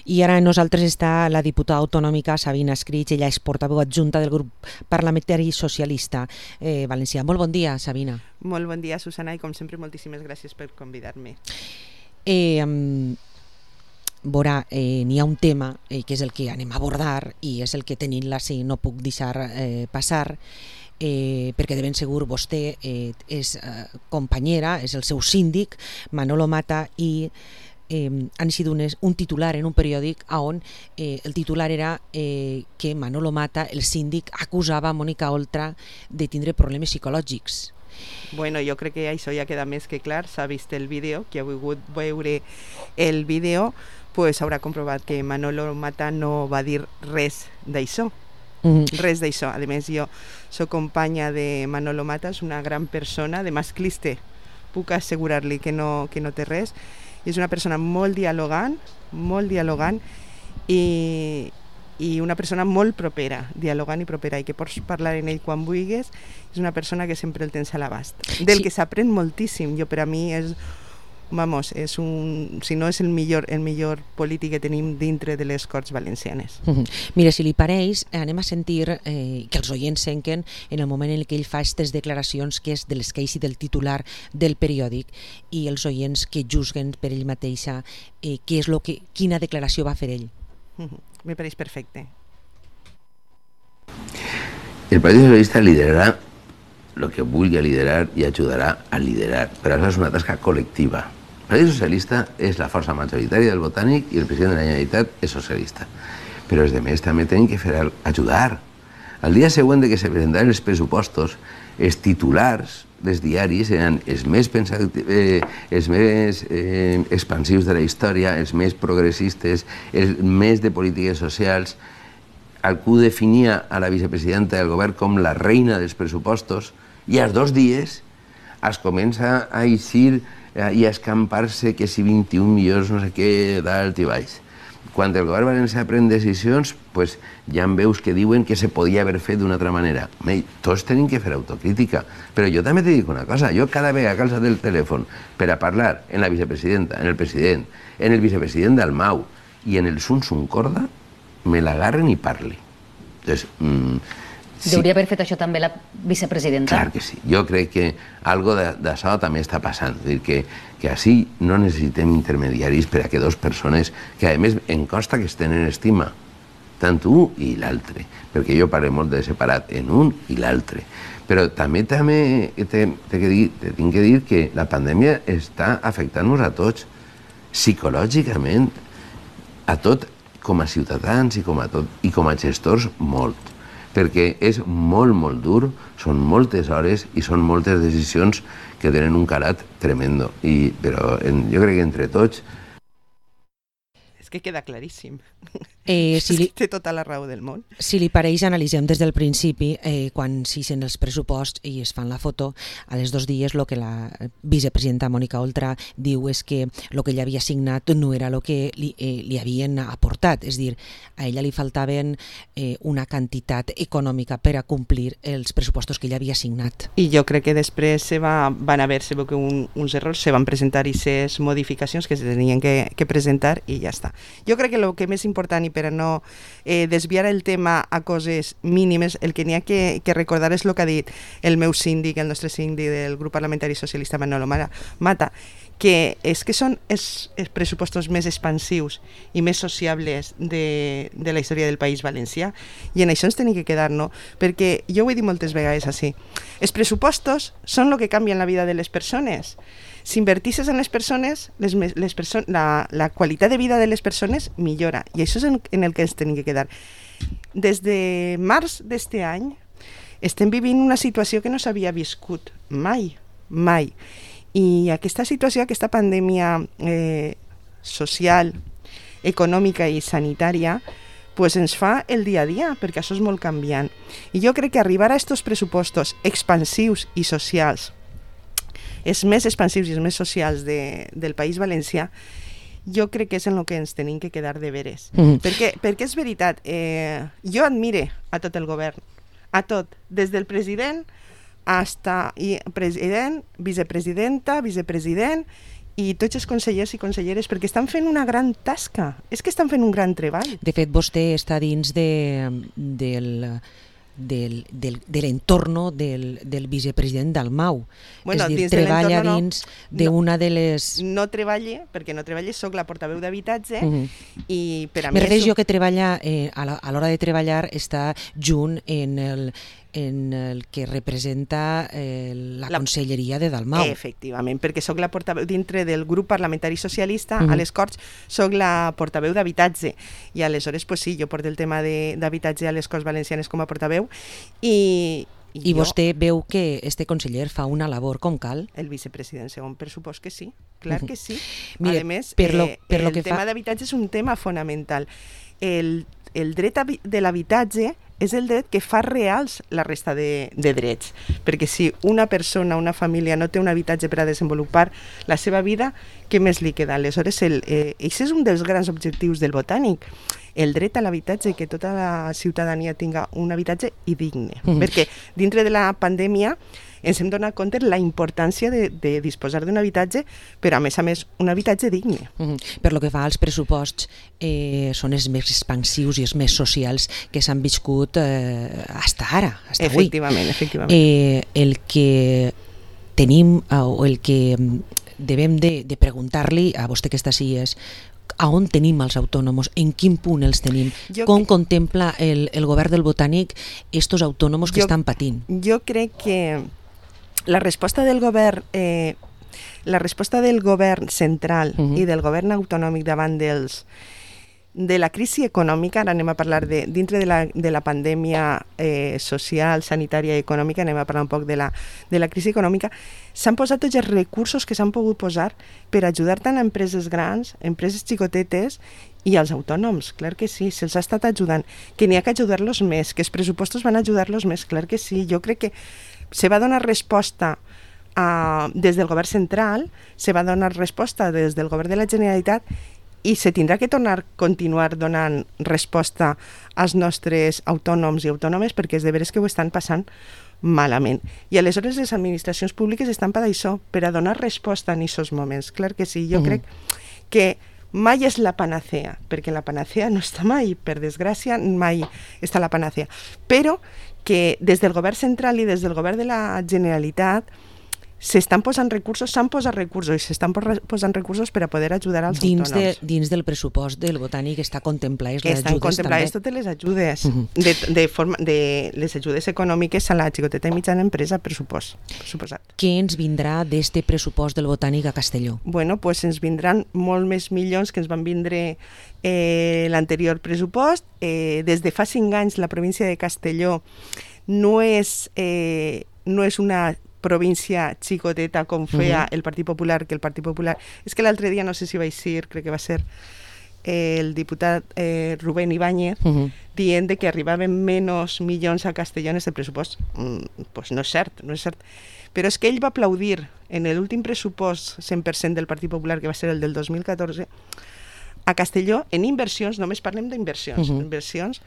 I ara amb nosaltres està la diputada autonòmica Sabina Escrig, ella és portaveu adjunta del grup parlamentari socialista valencià. Molt bon dia, Sabina. Molt bon dia, Susana, i com sempre moltíssimes gràcies per convidar-me. Veurà, n'hi ha un tema que és el que anem a abordar i és el que tenint-la sí, no puc deixar passar, perquè de ben segur vostè és companyera, és el seu síndic, Manolo Mata, i han sigut un titular en un periòdic on el titular era que Manolo Mata, el síndic, acusava a Mónica Oltra de tindre problemes psicològics. Bueno, jo crec que això ja queda més que clar. S'ha vist el vídeo, qui ha volgut veure el vídeo pues haurà comprovat que Manolo Mata no va dir res d'això. Res d'això. A més, jo soc companya de Manolo Mata, és una gran persona, de masclista puc assegurar-li que no té res. És una persona molt dialogant i una persona molt propera, dialogant i propera, i que pots parlar en ell quan vulguis. És una persona que sempre el tens a l'abast, del que s'aprèn moltíssim. Jo, per a mi, és si no és el millor polític que tenim dintre de les Corts Valencianes. Mira, si li pareix, anem a sentir que els oients senquen en el moment en què ell fa aquestes declaracions, que és de l'esqueix i del titular del periòdic, i els oients que juzguen per ell mateixa quina declaració va fer ell. Me pareix perfecte. El Partido Socialista liderará lo que vulgui liderar y ayudará a liderar, pero eso es una tasca colectiva. El Partido Socialista es la força majoritària del Botànic i el president de la Generalitat és socialista. Però els demés també tenen que fer ajudar. Al dia següent de que se presentaran els pressupostos, els titulars dels diaris eren els més expansius de la història, els més progressistes, els més de polítiques socials. Algú definia a la vicepresidenta del govern com la reina dels pressupostos i als 2 dies es comença a eixir i a escampar-se que si 21 milions no sé què dalt i baix. Quan el govern valencià pren decisions, pues, ja en veus que diuen que se podia haver fet d'una altra manera. Tots tenim que fer autocrítica, però jo també te dic una cosa, jo cada vegada que alçat el telèfon per a parlar en la vicepresidenta, en el president, en el vicepresident d'Almau i en el Sun Corda, me l'agarren i parli. Entonces, Hauria haver fet això també la vicepresidenta? Clar que sí. Jo crec que algo d'això també està passant. És dir, que així no necessitem intermediaris per a que 2 persones, que a més em consta que es tenen estima, tant un i l'altre, perquè jo parlo molt de separat en un i l'altre. Però també tinc que dir que la pandèmia està afectant-nos a tots, psicològicament, a tot, com a ciutadans i com a gestors, molt. Perquè és molt dur, són moltes hores i són moltes decisions que tenen un calat tremendo. Però jo crec que entre tots... És que queda claríssim. Té tota la raó del món. Si li pareix, analitzem des del principi, quan s'ixen els pressuposts i es fan la foto, a les 2 dies el que la vicepresidenta Mónica Oltra diu és que el que ella havia signat no era el que li havien aportat, és a dir, a ella li faltaven una quantitat econòmica per a complir els pressupostos que ella havia signat. I jo crec que després van haver-se uns errors, se van presentar aquestes modificacions que se tenien que presentar i ja està. Jo crec que el que més important, i per a no desviar el tema a coses mínimes, el que n'hi ha que recordar és el que ha dit el meu síndic, el nostre síndic del grup parlamentari socialista Manolo Mata, que són els pressupostos més expansius i més sociables de la història del País Valencià, i en això ens tenim que quedar, no? Perquè jo ho he dit moltes vegades així, els pressupostos són el que canvien la vida de les persones. Si invertisses en les persones, la qualitat de vida de les persones millora, i això és en el que ens tenim que quedar. Des de març d'este any estem vivint una situació que no s'havia viscut mai. I aquesta situació, aquesta pandèmia social, econòmica i sanitària, pues ens fa el dia a dia, perquè això és molt canviant. I jo crec que arribar a aquests pressupostos expansius i socials, els més expansius i els més socials del País Valencià, jo crec que és en el que ens tenim que quedar de veres. Perquè és veritat, jo admire a tot el govern, a tot, des del president, president, vicepresidenta, vicepresident i tots els consellers i conselleres, perquè estan fent una gran tasca, és que estan fent un gran treball. De fet, vostè està dins de l'entorno del vicepresident Dalmau. Bueno, és a dir, dins de treballa l'entorno dins d'una de les... No treballe, perquè no treballe, soc la portaveu d'habitatge i per a mi... Me refereixo que treballa, a l'hora de treballar, està junt en el que representa la conselleria de Dalmau. Efectivament, perquè soc la portaveu dintre del grup parlamentari socialista, a les Corts soc la portaveu d'habitatge i aleshores, pues sí, jo porto el tema d'habitatge a les Corts Valencianes com a portaveu i vostè veu que este conseller fa una labor com cal? El vicepresident segon, per supòs que sí, clar que sí. Mire, a més, el tema d'habitatge és un tema fonamental. El dret de l'habitatge és el dret que fa reals la resta de drets, perquè si una persona, una família no té un habitatge per a desenvolupar la seva vida, què més li queda? Aleshores, això és un dels grans objectius del Botànic, el dret a l'habitatge, que tota la ciutadania tinga un habitatge i digne, perquè dintre de la pandèmia ens hem donat compte la importància de disposar d'un habitatge, però a més, un habitatge digne. Per lo que fa als pressuposts, són els més expansius i els més socials que s'han viscut fins ara, fins avui. Efectivament. El que tenim, o el que devem de preguntar-li a vostè que està així és a on tenim els autònoms, en quin punt els tenim, com contempla el govern del Botànic estos autònoms que estan patint? Jo crec que la resposta del govern central i del govern autonòmic davant de la crisi econòmica, ara anem a parlar dintre de la pandèmia social, sanitària i econòmica, anem a parlar un poc de la crisi econòmica, s'han posat tots els recursos que s'han pogut posar per ajudar tant a empreses grans, empreses xicotetes i als autònoms, clar que sí, se'ls ha estat ajudant, que n'hi ha que ajudar-los més, que els pressupostos van ajudar-los més, clar que sí, jo crec que se va donar resposta des del govern central, se va donar resposta des del govern de la Generalitat i se tindrà que continuar donant resposta als nostres autònoms i autònomes perquè és de veres que ho estan passant malament. I aleshores les administracions públiques estan per això, per a donar resposta en aquests moments. Clar que sí, jo crec que mai és la panacea, perquè la panacea no està mai, per desgràcia, mai està la panacea. Però que des del govern central i des del govern de la Generalitat s'estan posant recursos, s'han posat recursos i s'estan posant recursos per a poder ajudar als autònoms. Dins del pressupost del Botànic està contemplades les ajudes també? Estan contemplades totes les ajudes, de les ajudes econòmiques a la xicoteta i mitjana empresa, per suposat. Què ens vindrà d'este pressupost del Botànic a Castelló? Bueno, pues ens vindran molt més milions que ens van vindre l'anterior pressupost. Des de fa 5 anys la província de Castelló no és una província xicoteta com feia el Partit Popular, que el Partit Popular... És que l'altre dia, no sé si vaig dir, crec que va ser el diputat Rubén Ibáñez, dient que arribaven menys milions a Castelló en aquest pressupost. Pues no és cert, no és cert. Però és que ell va aplaudir en l'últim pressupost 100% del Partit Popular, que va ser el del 2014, a Castelló, en inversions, només parlem d'inversions,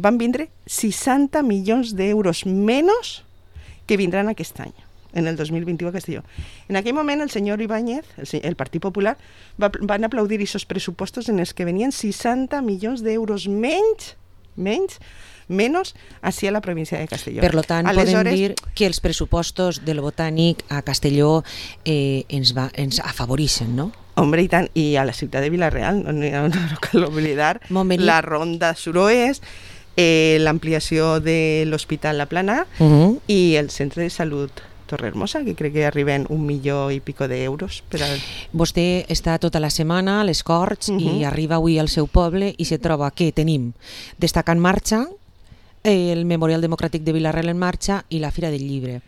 van vindre 60 milions d'euros menys que vindran aquest any, en el 2021 a Castelló. En aquell moment el senyor Ibáñez, el Partit Popular, van aplaudir aquests pressupostos en els que venien 60 milions d'euros menys així a la província de Castelló. Per tant, podem dir que els pressupostos del Botànic a Castelló ens afavoreixen, no? Hombre, i tant, i a la ciutat de Vila-real, no cal oblidar la ronda suroest, l'ampliació de l'Hospital La Plana i el Centre de Salut Torrehermosa, que crec que arriben 1 milió i pico d'euros. Vostè està tota la setmana a les Corts i arriba avui al seu poble i se troba que tenim Destaca en marxa, el Memorial Democràtic de Vila-real en marxa i la Fira del Llibre.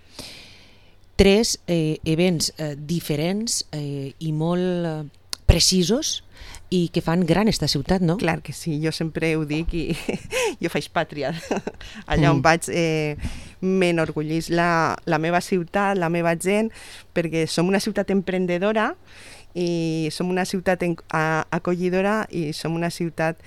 3 events diferents i molt precisos i que fan gran esta ciutat, no? Clar que sí, jo sempre ho dic i jo faig pàtria. Allà on vaig m'enorgullís la meva ciutat, la meva gent, perquè som una ciutat emprendedora i som una ciutat acollidora i som una ciutat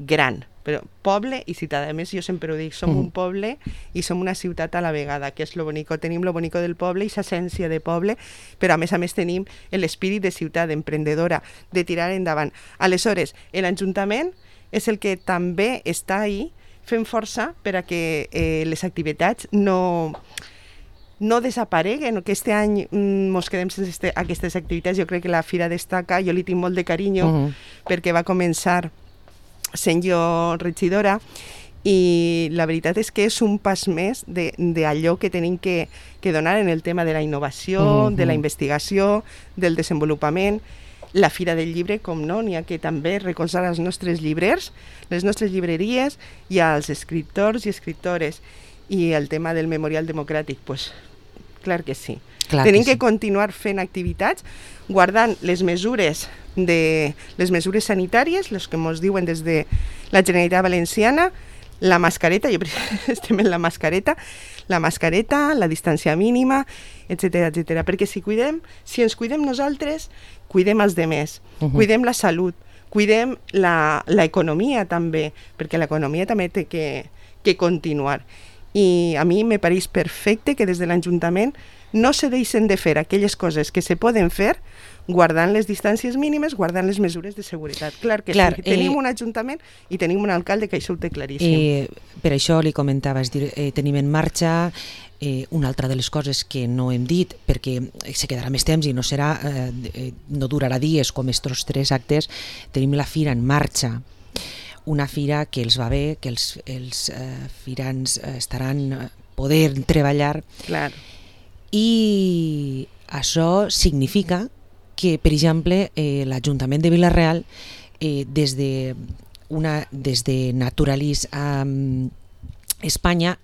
gran, però poble i ciutat. A més, jo sempre ho dic, som un poble i som una ciutat a la vegada, que és lo bonico. Tenim lo bonico del poble i l'essència de poble, però a més tenim l'espírit de ciutat, emprendedora, de tirar endavant. Aleshores, l'Ajuntament és el que també està ahí fent força per a que les activitats no desapareguen, que este any ens quedem sense aquestes activitats. Jo crec que la Fira destaca, jo li tinc molt de carinyo, perquè va començar sent jo regidora, i la veritat és que és un pas més d'allò que tenim que donar en el tema de la innovació, de la investigació, del desenvolupament. La Fira del Llibre, com no, n'hi ha que també recolzar els nostres llibrers, les nostres llibreries i als escriptors i escriptores. I el tema del Memorial Democràtic, doncs, clar que sí. Tenim que continuar fent activitats, guardant les mesures sanitàries, les que ens diuen des de la Generalitat Valenciana, la mascareta, jo estem en la mascareta, la distància mínima, etc. Perquè si ens cuidem nosaltres, cuidem els demés, cuidem la salut, cuidem l'economia també, perquè l'economia també té que continuar. I a mi me pareix perfecte que des de l'Ajuntament no se deixen de fer aquelles coses que se poden fer guardant les distàncies mínimes, guardant les mesures de seguretat. Clar que sí, tenim un Ajuntament i tenim un alcalde que això ho té claríssim. Per això li comentava, és dir, tenim en marxa una altra de les coses que no hem dit, perquè se quedarà més temps i no durarà dies com estos 3 actes. Tenim la Fira en marxa, una fira que els va bé, que els firans estaran poder treballar. Clar. I això significa que, per exemple, l'Ajuntament de Vila-real, des de Naturalis a Espanya,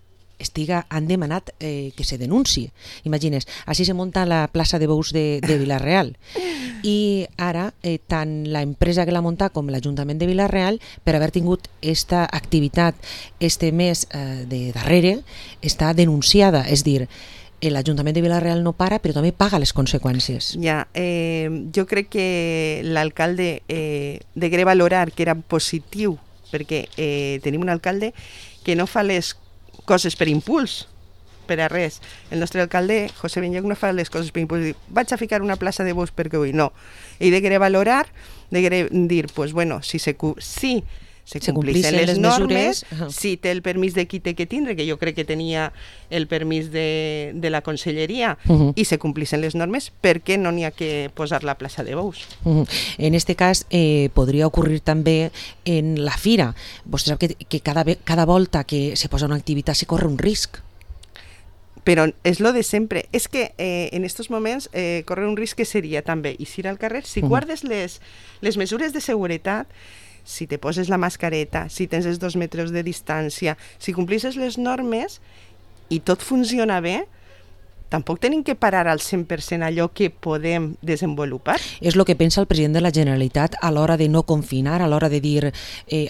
han demanat que se denunci. Imagines, així se munta la plaça de bous de Vila-real. I ara, tant l'empresa que l'ha muntat com l'Ajuntament de Vila-real, per haver tingut aquesta activitat este mes de darrere, està denunciada. És dir, l'Ajuntament de Vila-real no para, però també paga les conseqüències. Ja, jo crec que l'alcalde degué valorar que era positiu, perquè tenim un alcalde que no fa les coses per impuls, per a res. El nostre alcalde, José Benlloc, no fa les coses per impuls. Vaig a ficar una plaça de bous perquè vull. No. Ell degué valorar, degué dir, pues bueno, si se complixen les normes, si té el permís de qui té que tindre, que jo crec que tenia el permís de la conselleria, i se complixen les normes, per què no n'hi ha que posar la plaça de bous? En este cas, podria ocórrer també en la fira. Vostè sap que cada volta que se posa una activitat se corre un risc. Però és lo de sempre. És que en aquests moments corre un risc que seria també eixir al carrer. Si guardes les mesures de seguretat, si te poses la mascareta, si tens els 2 metres de distància, si complixes les normes i tot funciona bé, tampoc tenim que parar al 100% allò que podem desenvolupar. És el que pensa el president de la Generalitat a l'hora de no confinar, a l'hora de dir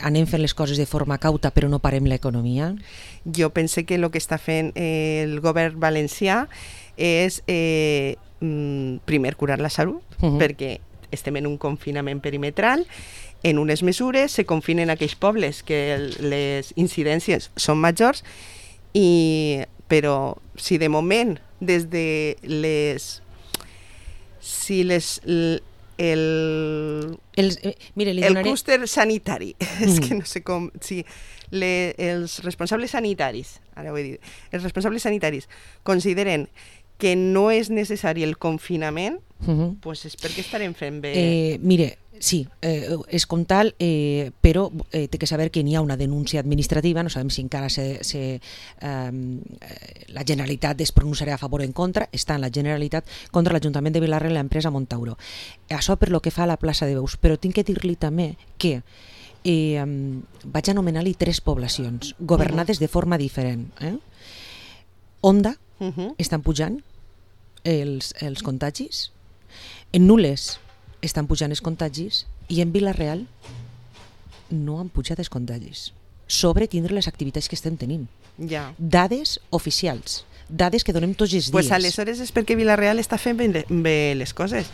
anem fent les coses de forma cauta però no parem l'economia? Jo pense que el que està fent el govern valencià és primer curar la salut, perquè estem en un confinament perimetral, en unes mesures se confinen aquells pobles que les incidències són majors, però si de moment des de el clúster sanitari, és que no sé com, si els responsables sanitaris, ara ho he dit, els responsables sanitaris consideren que no és necessari el confinament, doncs és perquè estarem fent bé. Mire, sí, és com tal, però té que saber que n'hi ha una denúncia administrativa, no sabem si encara la Generalitat es pronunciarà a favor o en contra, està en la Generalitat contra l'Ajuntament de Vila-real i l'empresa Montauro. Això per lo que fa a la plaça de Beus, però tinc que dir-li també que vaig anomenar-li 3 poblacions, governades de forma diferent. Onda, estan pujant els contagis, en Nules estan pujant els contagis i en Vila-real no han pujat els contagis sobre tindre les activitats que estem tenint. Ja. Dades oficials, dades que donem tots els dies. Pues aleshores és perquè Vila-real està fent bé les coses.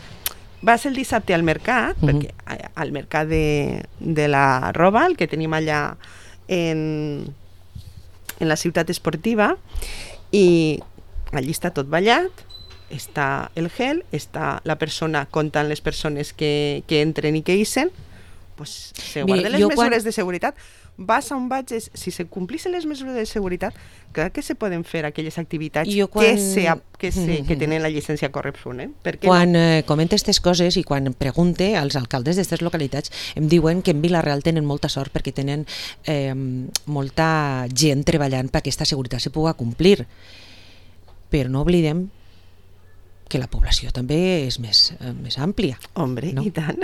Vas el dissabte al mercat, perquè al mercat de la roba, el que tenim allà en la ciutat esportiva i allí està tot ballat, està el gel, està la persona comptant les persones que entren i que ixen, pues, se guarden les mesures de seguretat. Vas a on vaig, si se complissen les mesures de seguretat, clar que se poden fer aquelles activitats que tenen la llicència corresponent. Quan comenta aquestes coses i quan pregunte als alcaldes d'aquestes localitats, em diuen que en Vila-real tenen molta sort perquè tenen molta gent treballant perquè aquesta seguretat se pugui complir. Però no oblidem que la població també és més àmplia. Hombre, no? I tant.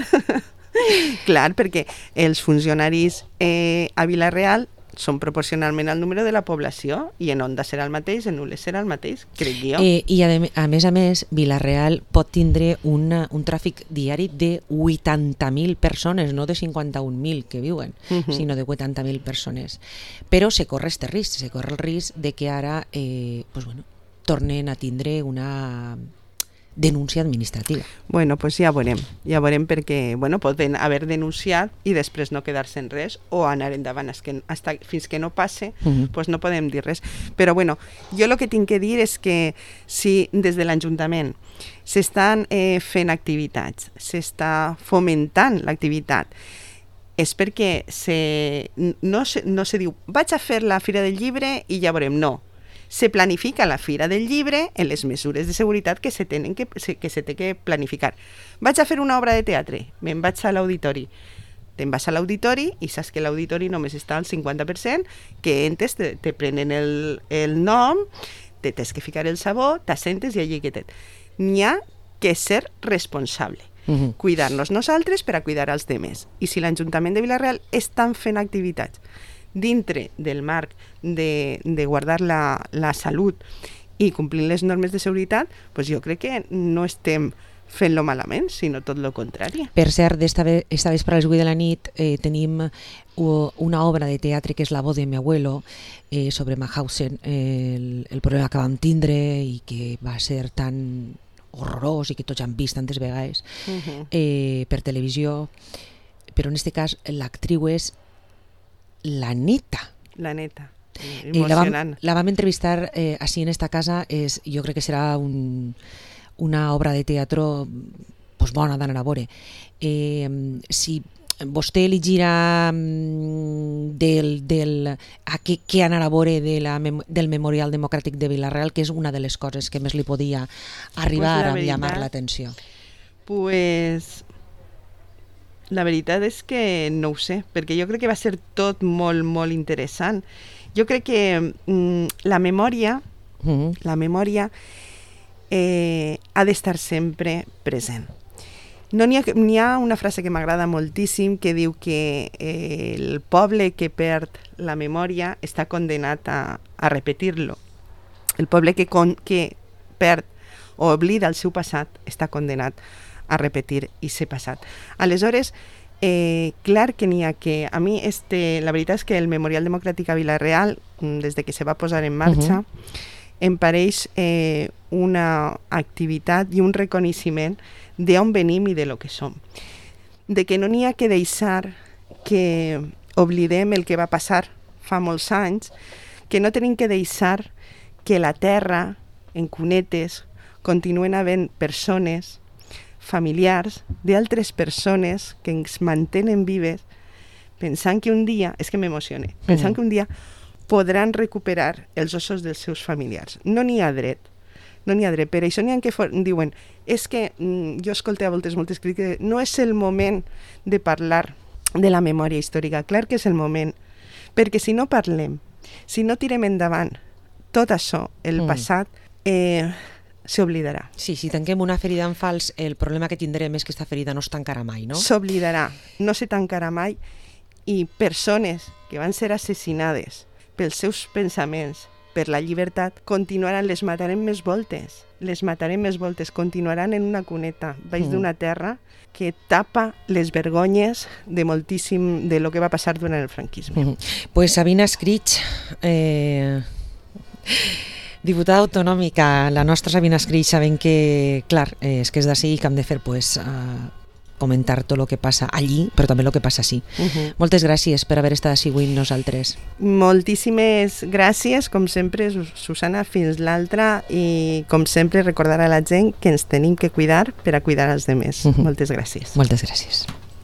Clar, perquè els funcionaris a Vila-real són proporcionalment al número de la població i en Onda serà el mateix, en Nules serà el mateix, crec jo. I a més, Vila-real pot tindre un tràfic diari de 80.000 persones, no de 51.000 que viuen, sinó de 80.000 persones. Però se corre este risc, se corre el risc de que ara tornen a tindre una denúncia administrativa. Bueno, pues ja veurem perquè poden haver denunciat i després no quedar-se en res o anar endavant fins que no passe, pues no podem dir res. Però jo el que tinc que dir és que si des de l'Ajuntament s'estan fent activitats, s'està fomentant l'activitat, és perquè no se diu vaig a fer la Fira del Llibre i ja veurem, no. Se planifica la Fira del Llibre en les mesures de seguretat que se té que planificar. Vaig a fer una obra de teatre, me'n vaig a l'auditori. Te'n vas a l'auditori i saps que l'auditori només està al 50%, que entres, te prenen el nom, te tens que ficar el sabó, t'assentes i allí quedet. N'hi ha que ser responsable. Cuidar-nos nosaltres per a cuidar els demés. I si l'Ajuntament de Vila-real estan fent activitats dintre del marc de guardar la salut i complint les normes de seguretat, doncs jo crec que no estem fent-lo malament, sinó tot el contrari. Per cert, esta vespre a les 8 de la nit tenim una obra de teatre que és La voz de mi abuelo, sobre Mauthausen, el problema que vam tindre i que va ser tan horrorós i que tots han vist tantes vegades per televisió, però en aquest cas l'actriu és la neta. La neta, emocionant. La vam entrevistar així en esta casa, jo crec que serà una obra de teatro bona d'anar a veure. Si vostè li gira què anar a veure del Memorial Democràtic de Vila-real, que és una de les coses que més li podia arribar a llamar l'atenció. La veritat és que no ho sé, perquè jo crec que va ser tot molt, molt interessant. Jo crec que la memòria ha d'estar sempre present. N'hi ha una frase que m'agrada moltíssim que diu que el poble que perd la memòria està condenat a repetir-lo. El poble que perd o oblida el seu passat està condenat a repetir i ser passat. Aleshores, clar que n'hi ha que... A mi, la veritat és que el Memorial Democràtic a Vila-real, des de que se va posar en marxa, em pareix una activitat i un reconeixement d'on venim i de lo que som. De que no n'hi ha que deixar que oblidem el que va passar fa molts anys, que no tenim que deixar que la terra, en cunetes, continuen havent persones, familiars d'altres persones que ens mantenen vives, pensant que un dia, és que m'emocione, pensant que un dia podran recuperar els ossos dels seus familiars. No n'hi ha dret. Per això n'hi ha que diuen, és que jo escolté a voltes moltes crítiques, no és el moment de parlar de la memòria històrica. Clar que és el moment, perquè si no parlem, si no tirem endavant tot això, el passat, s'oblidarà. Sí, si tanquem una ferida en fals, el problema que tindrem és que aquesta ferida no es tancarà mai, no? S'oblidarà, no se tancarà mai, i persones que van ser assassinades pels seus pensaments, per la llibertat, continuaran, les matarem més voltes, continuaran en una cuneta, baix d'una terra que tapa les vergonyes de moltíssim de lo que va passar durant el franquisme. Pues Sabina Escrig, diputada autonòmica, la nostra Sabina Escrig, sabent que, clar, és que és d'ací que hem de fer comentar tot el que passa allí, però també el que passa així. Moltes gràcies per haver estat així avui amb nosaltres. Moltíssimes gràcies, com sempre, Susana, fins l'altra, i com sempre recordar a la gent que ens tenim que cuidar per a cuidar els demés. Moltes gràcies. Moltes gràcies.